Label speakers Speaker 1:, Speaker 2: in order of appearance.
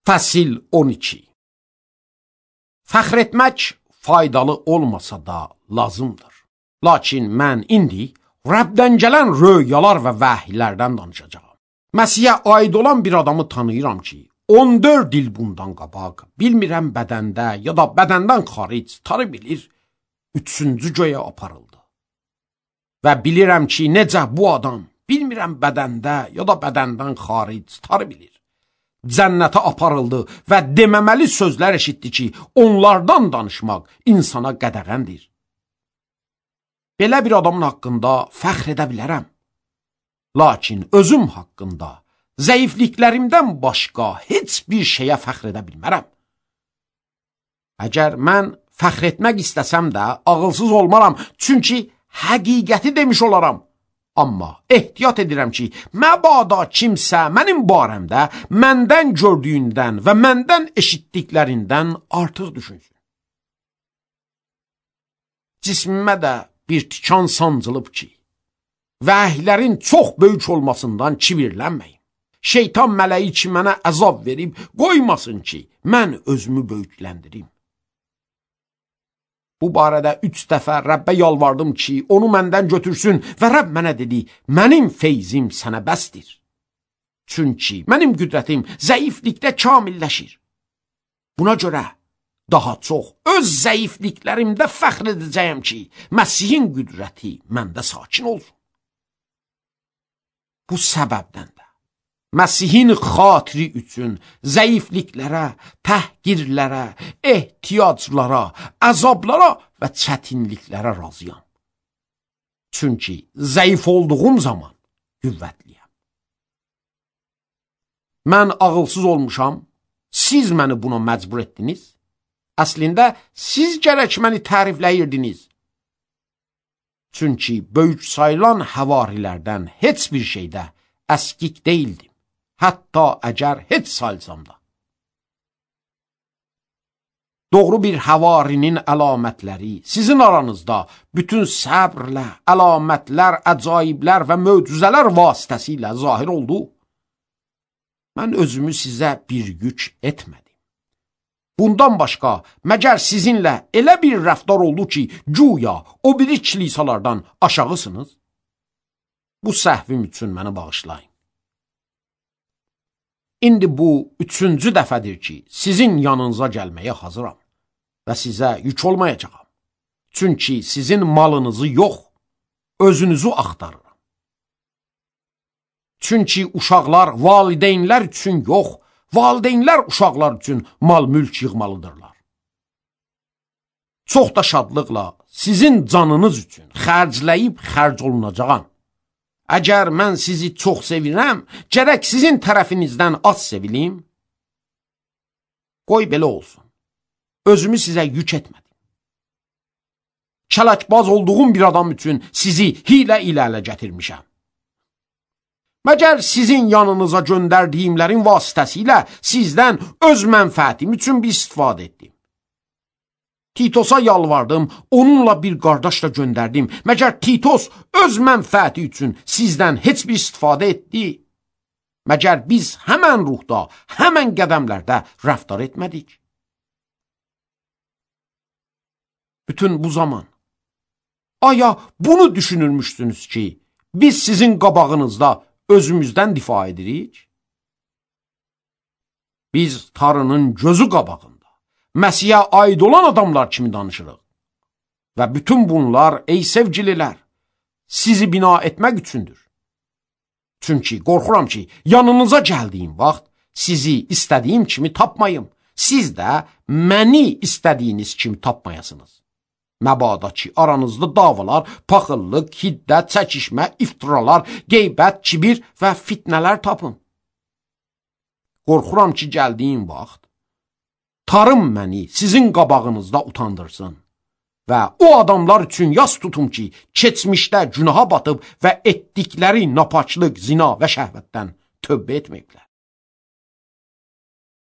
Speaker 1: Fəsil 12. Fəxr etmək faydalı olmasa da lazımdır. Lakin mən indi Rəbdən gələn röyalar və vəhiylərdən danışacağam. Məsihə aid olan bir adamı tanıyıram ki, 14 il bundan qabaq, bilmirəm bədəndə ya da bədəndən xaric tarı bilir, 3-cü göyə aparıldı. Və bilirəm ki, necə bu adam, bilmirəm bədəndə ya da bədəndən xaric tarı bilir, cənnətə aparıldı və deməməli sözlər eşitdi ki, onlardan danışmaq insana qədəğəndir. Belə bir adamın haqqında fəxr edə bilərəm. Lakin özüm haqqında, zəifliklərimdən başqa heç bir şeyə fəxr edə bilmərəm. Əgər mən fəxr etmək istəsəm də ağılsız olmaram, çünki həqiqəti demiş olaram. Amma ehtiyat edirəm ki, məbada kimsə mənim barəmdə məndən gördüyündən və məndən eşitdiklərindən artıq düşünsün. Cismimə də bir tikan sancılıb ki, vəhiylərin çox böyük olmasından kibirlənməyin. Şeytan mələyi ki, mənə əzab verib, qoymasın ki, mən özümü böyükləndirim. Bu barədə 3 dəfə Rəbbə yalvardım ki, onu məndən götürsün və Rəbb mənə dedi, mənim feyzim sənə bəsdir. Çünki mənim qüdrətim zəiflikdə kamilləşir. Buna görə daha çox öz zəifliklərimdə fəxr edəcəyəm ki, Məsihin qüdrəti məndə sakin olsun. Bu səbəbdən də Məsihin xatiri üçün zəifliklərə, təhqirlərə, ehtiyaclara, əzablara və çətinliklərə razıyam. Çünki zəif olduğum zaman qüvvətliyəm. Mən ağılsız olmuşam, siz məni buna məcbur etdiniz. Əslində, siz gərək məni tərifləyirdiniz. Çünki böyük sayılan həvarilərdən heç bir şeydə əskik deyildim. Hətta əgər heç sayılsam da. Doğru bir həvarinin əlamətləri sizin aranızda bütün səbrlə, əlamətlər, əcaiblər və möcüzələr vasitəsilə zahir oldu. Mən özümü sizə bir yük etmədim. Bundan başqa, məgər sizinlə elə bir rəftar oldu ki, güya o biri kilisalardan aşağısınız? Bu səhvim üçün məni bağışlayın. İndi bu 3-cü dəfədir ki, sizin yanınıza gəlməyə hazıram və sizə yük olmayacağam. Çünki sizin malınızı yox, özünüzü axtarıram. Çünki uşaqlar valideynlər üçün yox, valideynlər uşaqlar üçün mal-mülk yığmalıdırlar. Çox da şadlıqla sizin canınız üçün xərcləyib xərc olunacağam. Əgər mən sizi çox sevirəm, gərək sizin tərəfinizdən az sevilim. Qoy belə olsun. Özümü sizə yük etmədim. Kələkbaz olduğum bir adam üçün sizi hilə ilə ələ gətirmişəm. Məgər sizin yanınıza göndərdiyimlərin vasitəsilə sizdən öz mənfəətim üçün bir istifadə etdim. Titosa yalvardım, onunla bir qardaş da göndərdim. Məgər Titos öz mənfəəti üçün sizdən heç bir istifadə etdi? Məgər biz həmən ruhda, həmən qədəmlərdə rəftar etmədik? Bütün bu zaman, aya bunu düşünülmüşsünüz ki, biz sizin qabağınızda özümüzdən difa edirik? Biz tarının gözü qabağında Məsihə aid olan adamlar kimi danışırıq. Və bütün bunlar, ey sevgililər, sizi bina etmək üçündür. Çünki qorxuram ki, yanınıza gəldiyim vaxt sizi istədiyim kimi tapmayım. Siz də məni istədiyiniz kimi tapmayasınız. Məbada ki, aranızda davalar, paxıllıq, hiddət, çəkişmə, iftiralar, qeybət, kibir və fitnələr tapın. Qorxuram ki, gəldiyim vaxt tarım məni sizin qabağınızda utandırsın və o adamlar üçün yas tutum ki, keçmişdə günaha batıb və etdikləri napaçlıq, zina və şəhvətdən tövbə etməyiblər.